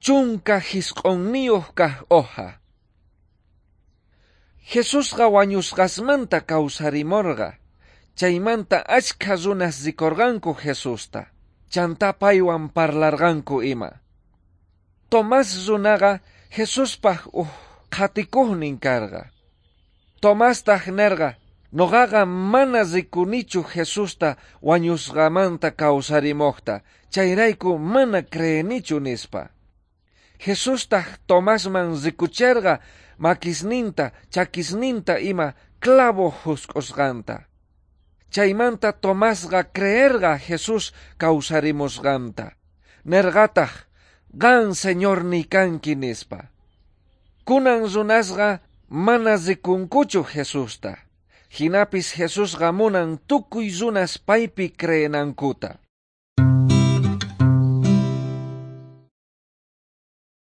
19 kaj hoja. Jesusqa wañusqasmanta kawsarimorqa. Chaymanta achkha runas rikorqanku Jesusta. Chantá paywan parlarqanku ima. Tomás runaqa Jesuspaj uj qhatikojnin karqa. Tomástaj nerqa: Noqaqa mana rikunichu Jesusta wañusqamanta kawsarimojta, chayrayku mana creenichu nispa. Jesustaj Tomasman rikucherqa makisninta, chakisninta ima clavo jusk'usqanta. Chaymanta Tomasqa creerqa Jesús kawsarimusqanta. Nerqataj: Qan Señorniy kanki nispa. Kunan runasqa mana rikunkuchu Jesusta. Jinapis Jesusqa munan tukuy runas paypi creenankuta.